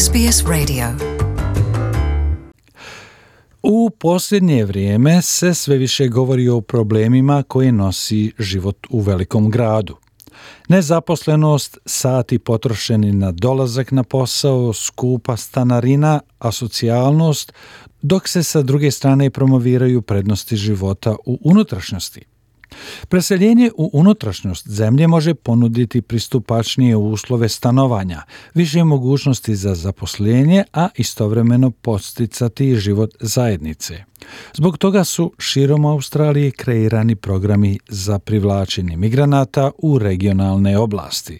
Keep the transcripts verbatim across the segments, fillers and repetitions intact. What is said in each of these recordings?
S B S Radio. U posljednje vrijeme se sve više govori o problemima koje nosi život u velikom gradu. Nezaposlenost, sati potrošeni na dolazak na posao, skupa stanarina, asocijalnost, dok se sa druge strane promoviraju prednosti života u unutrašnjosti. Preseljenje u unutrašnjost zemlje može ponuditi pristupačnije uslove stanovanja, više mogućnosti za zaposlenje, a istovremeno podsticati život zajednice. Zbog toga su širom Australije kreirani programi za privlačenje migranata u regionalne oblasti.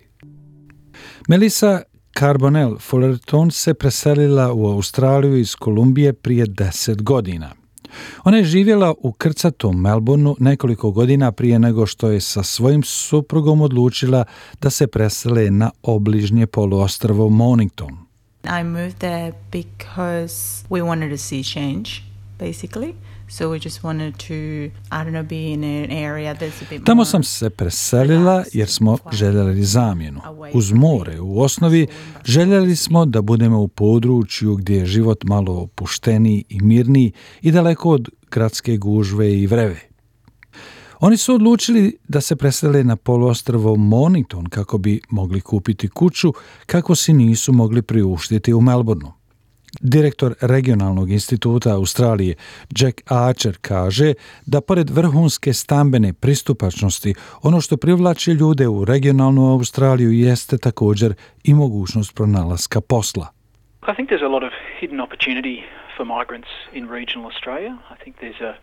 Melissa Carbonell Fullerton se preselila u Australiju iz Kolumbije prije deset godina. Ona je živjela u krcatom Melbourneu nekoliko godina prije nego što je sa svojim suprugom odlučila da se presele na obližnje poluostrvo Mornington. I moved there because we wanted to see change, basically. So we just wanted to, I don't know, be in an area that's a bit more... Tamo sam se preselila jer smo željeli zamjenu. Uz more u osnovi željeli smo da budemo u području gdje je život malo opušteniji i mirniji i daleko od gradske gužve i vreve. Oni su odlučili da se presele na poluostrvo Mornington kako bi mogli kupiti kuću kako si nisu mogli priuštiti u Melbourneu. Direktor regionalnog instituta Australije Jack Archer kaže da pored vrhunske stambene pristupačnosti, ono što privlači ljude u regionalnu Australiju jeste također i mogućnost pronalaska posla. I think there's a lot of hidden opportunity for migrants in regional Australia. I think there's a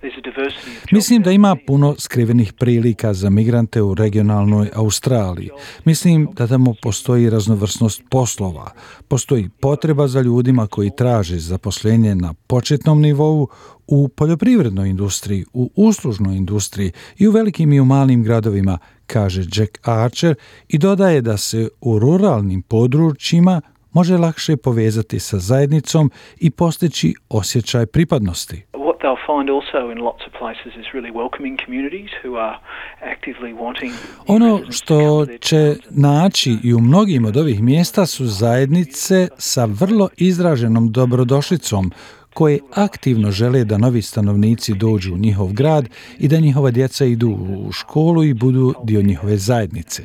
there's a diversity of jobs. Mislim da ima puno skrivenih prilika za migrante u regionalnoj Australiji. Mislim da tamo postoji raznovrsnost poslova. Postoji potreba za ljudima koji traže zaposlenje na početnom nivou u poljoprivrednoj industriji, u uslužnoj industriji i u velikim i u malim gradovima, kaže Jack Archer i dodaje da se u ruralnim područjima može lakše povezati sa zajednicom i postići osjećaj pripadnosti. What they'll find also in lots of places is really welcoming communities who are actively wanting. Ono što će naći i u mnogim od ovih mjesta su zajednice sa vrlo izraženom dobrodošlicom koje aktivno žele da novi stanovnici dođu u njihov grad i da njihova djeca idu u školu i budu dio njihove zajednice.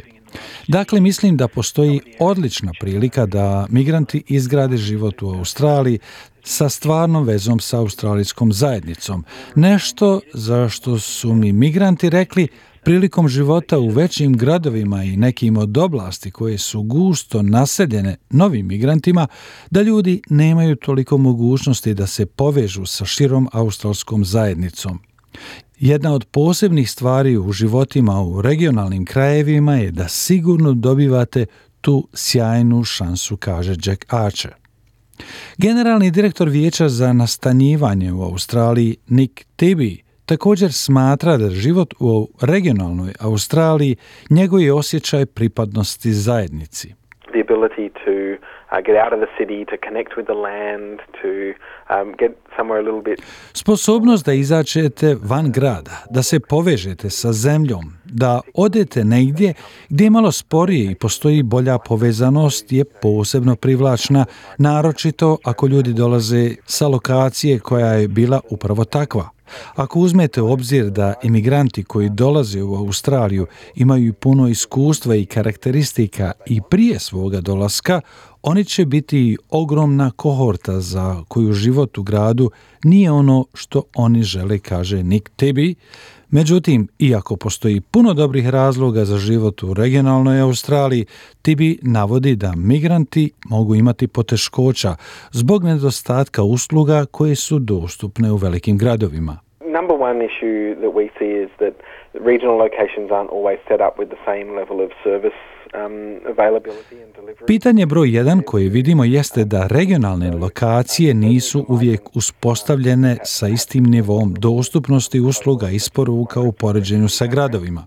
Dakle, mislim da postoji odlična prilika da migranti izgrade život u Australiji sa stvarnom vezom sa australijskom zajednicom. Nešto za što su mi migranti rekli prilikom života u većim gradovima i nekim od oblasti koje su gusto naseljene novim migrantima, da ljudi nemaju toliko mogućnosti da se povežu sa širom australskom zajednicom. Jedna od posebnih stvari u životima u regionalnim krajevima je da sigurno dobivate tu sjajnu šansu, kaže Jack Archer. Generalni direktor Vijeća za nastanjivanje u Australiji Nick Tibby također smatra da život u regionalnoj Australiji njeguje osjećaj pripadnosti zajednici. The ability to uh, get out of the city, to connect with the land, to um, get somewhere a little bit... Sposobnost da izađete van grada, da se povežete sa zemljom, da odete negdje gdje je malo sporije i postoji bolja povezanost je posebno privlačna, naročito ako ljudi dolaze sa lokacije koja je bila upravo takva. Ako uzmete u obzir da imigranti koji dolaze u Australiju imaju puno iskustva i karakteristika i prije svoga dolaska, oni će biti ogromna kohorta za koju život u gradu nije ono što oni žele, kaže Nick Tibby. Međutim, iako postoji puno dobrih razloga za život u regionalnoj Australiji, Tibby navodi da migranti mogu imati poteškoća zbog nedostatka usluga koje su dostupne u velikim gradovima. Number one issue that we see is that regional locations aren't always set up with the same level of service um, availability and delivery. Pitanje broj jedan koje vidimo jeste da regionalne lokacije nisu uvijek uspostavljene sa istim nivom dostupnosti usluga i isporuka u poređenju sa gradovima.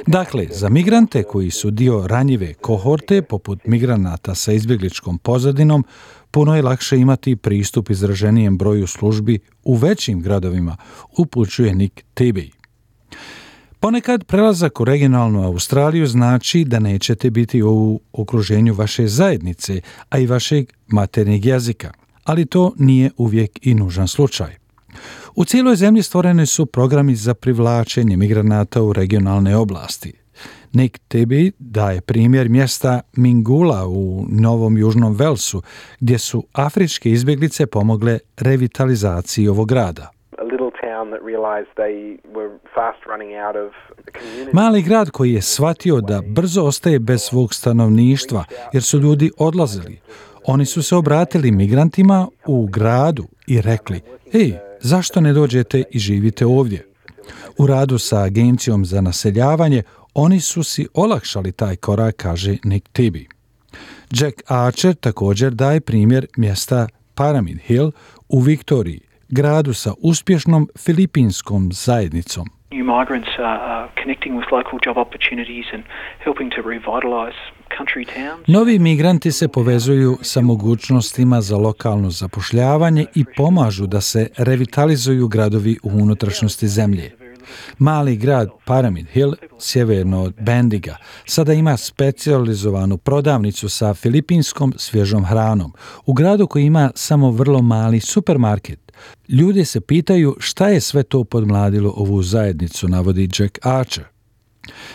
Dakle, za migrante koji su dio ranjive kohorte, poput migranata sa izbjegličkom pozadinom, puno je lakše imati pristup izraženijem broju službi u većim gradovima, upućuje Nick Tibby. Ponekad prelazak u regionalnu Australiju znači da nećete biti u okruženju vaše zajednice, a i vašeg maternjeg jezika, ali to nije uvijek i nužan slučaj. U cijeloj zemlji stvoreni su programi za privlačenje migranata u regionalne oblasti. Nick Tibby daje primjer mjesta Mingula u Novom Južnom Velsu, gdje su afričke izbjeglice pomogle revitalizaciji ovog grada. Mali grad koji je shvatio da brzo ostaje bez svog stanovništva jer su ljudi odlazili. Oni su se obratili migrantima u gradu i rekli: "Ej, zašto ne dođete i živite ovdje?" U radu sa Agencijom za naseljavanje oni su si olakšali taj korak, kaže Nick Tibby. Jack Archer također daje primjer mjesta Pyramid Hill u Viktoriji, gradu sa uspješnom filipinskom zajednicom. New migrants are connecting with local job opportunities and helping to revitalize country towns. Novi migranti se povezuju sa mogućnostima za lokalno zapošljavanje i pomažu da se revitalizuju gradovi u unutrašnjosti zemlje. Mali grad Pyramid Hill, sjeverno od Bendiga, sada ima specijalizovanu prodavnicu sa filipinskom svježom hranom, u gradu koji ima samo vrlo mali supermarket. Ljudi se pitaju šta je sve to podmladilo ovu zajednicu, navodi Jack Archer.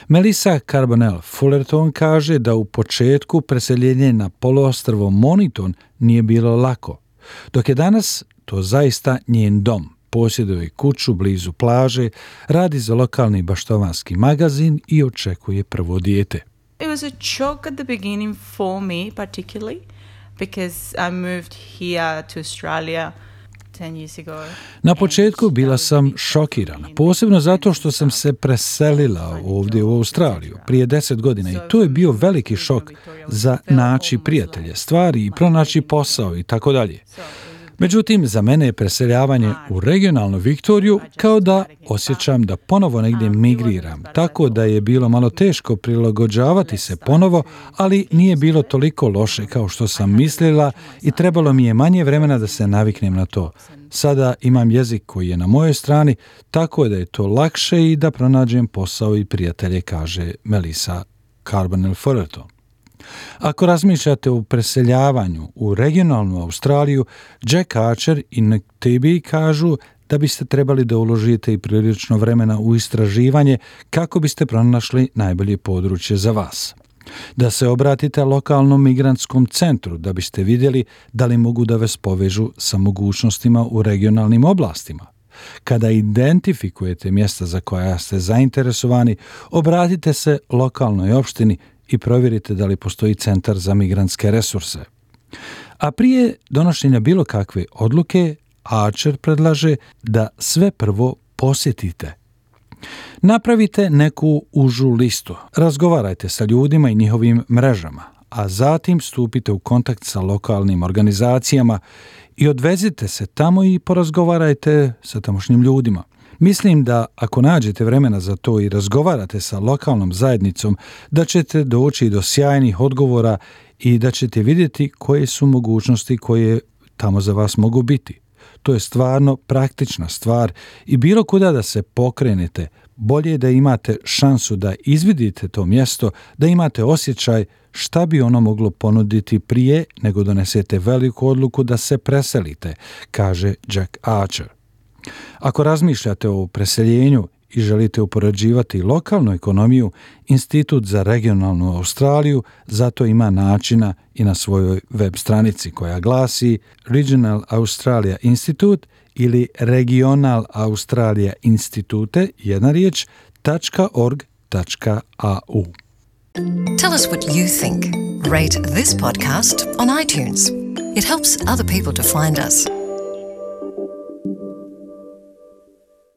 Melissa Carbonell Fullerton kaže da u početku preseljenje na poluostrvo Moniton nije bilo lako, dok je danas to zaista njen dom. Posjeduje kuću blizu plaže, radi za lokalni baštovanski magazin i očekuje prvo dijete. It was a shock at the beginning for me particularly because I moved here to Australia ten years ago. Na početku bila sam šokirana, posebno zato što sam se preselila ovdje u Australiju prije deset godina i to je bio veliki šok za naći prijatelje, stvari i pronaći posao i tako dalje. Međutim, za mene je preseljavanje u regionalnu Viktoriju kao da osjećam da ponovo negdje migriram, tako da je bilo malo teško prilagođavati se ponovo, ali nije bilo toliko loše kao što sam mislila i trebalo mi je manje vremena da se naviknem na to. Sada imam jezik koji je na mojoj strani, tako da je to lakše i da pronađem posao i prijatelje, kaže Melissa Carbonell Fullerton. Ako razmišljate o preseljavanju u regionalnu Australiju, Jack Archer i Nick Tibby kažu da biste trebali da uložite i prilično vremena u istraživanje kako biste pronašli najbolje područje za vas. Da se obratite lokalnom migrantskom centru da biste vidjeli da li mogu da vas povežu sa mogućnostima u regionalnim oblastima. Kada identifikujete mjesta za koja ste zainteresovani, obratite se lokalnoj opštini i provjerite da li postoji centar za migrantske resurse. A prije donošenja bilo kakve odluke, Archer predlaže da sve prvo posjetite. Napravite neku užu listu, razgovarajte sa ljudima i njihovim mrežama, a zatim stupite u kontakt sa lokalnim organizacijama i odvezite se tamo i porazgovarajte sa tamošnjim ljudima. Mislim da ako nađete vremena za to i razgovarate sa lokalnom zajednicom, da ćete doći do sjajnih odgovora i da ćete vidjeti koje su mogućnosti koje tamo za vas mogu biti. To je stvarno praktična stvar i bilo kuda da se pokrenete, bolje je da imate šansu da izvidite to mjesto, da imate osjećaj šta bi ono moglo ponuditi prije nego donesete veliku odluku da se preselite, kaže Jack Archer. Ako razmišljate o preseljenju i želite upoređivati lokalnu ekonomiju, Institut za regionalnu Australiju zato ima načina i na svojoj web stranici koja glasi Regional Australia Institute ili Regional Australia Institute, jedna riječ, .org.au. Tell us what you think. Rate this podcast on iTunes. It helps other people to find us.